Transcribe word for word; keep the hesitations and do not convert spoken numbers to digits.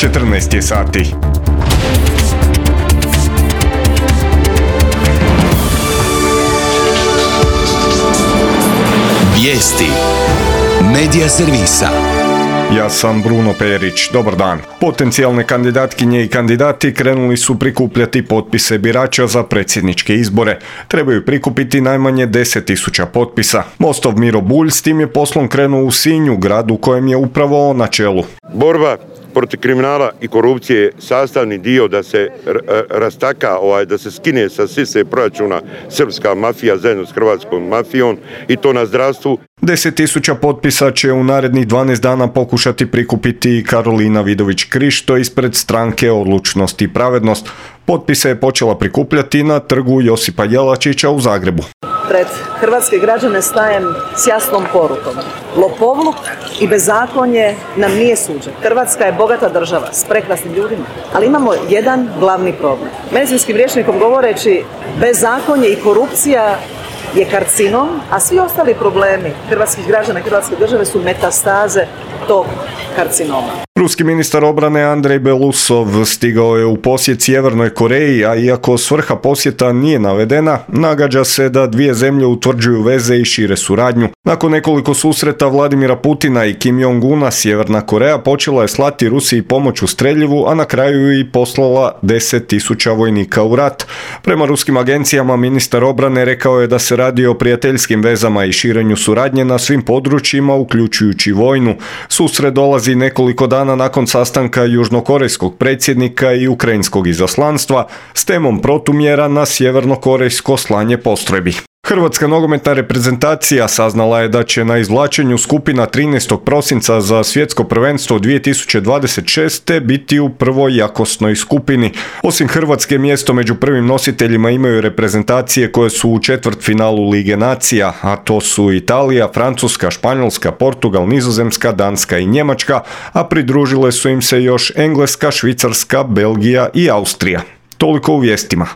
četrnaest je sati. Vijesti Medija servisa. Ja sam Bruno Perić, dobar dan. Potencijalne kandidatkinje i kandidati krenuli su prikupljati potpise birača za predsjedničke izbore. Trebaju prikupiti najmanje deset tisuća potpisa. Mostov Miro Bulj s tim je poslom krenuo u Sinju, gradu u kojem je upravo on na čelu. Borba protiv kriminala i korupcije je sastavni dio da se rastaka, ovaj, da se skine sa sise proračuna srpska mafija zajedno s hrvatskom mafijom i to na zdravstvu. deset tisuća potpisa će u narednih dvanaest dana pokušati prikupiti Karolina Vidović Krišto ispred stranke Odlučnost i pravednost. Potpise je počela prikupljati na trgu Josipa Jelačića u Zagrebu. Pred hrvatske građane stajem s jasnom porukom. Lopovluk i bezakonje nam nije suđe. Hrvatska je bogata država s prekrasnim ljudima, ali imamo jedan glavni problem. Medicinskim rječnikom govoreći, bezakonje i korupcija je karcinom, a svi ostali problemi hrvatskih građana i hrvatske države su metastaze tog karcinoma. Ruski ministar obrane Andrej Belousov stigao je u posjet Sjevernoj Koreji, a iako svrha posjeta nije navedena, nagađa se da dvije zemlje utvrđuju veze i šire suradnju. Nakon nekoliko susreta Vladimira Putina i Kim Jong-una, Sjeverna Koreja počela je slati Rusiji pomoć u streljivu, a na kraju i poslala deset tisuća vojnika u rat. Prema ruskim agencijama ministar obrane rekao je da se radi o prijateljskim vezama i širenju suradnje na svim područjima, uključujući vojnu. Susret dolazi nekoliko dana nakon sastanka južnokorejskog predsjednika i ukrajinskog izaslanstva s temom protumjera na sjevernokorejsko slanje postrojbi. Hrvatska nogometna reprezentacija saznala je da će na izvlačenju skupina trinaestog prosinca za svjetsko prvenstvo dvije tisuće dvadeset šeste. biti u prvoj jakosnoj skupini. Osim Hrvatske, mjesto među prvim nositeljima imaju reprezentacije koje su u četvrtfinalu Lige nacija, a to su Italija, Francuska, Španjolska, Portugal, Nizozemska, Danska i Njemačka, a pridružile su im se još Engleska, Švicarska, Belgija i Austrija. Toliko u vijestima.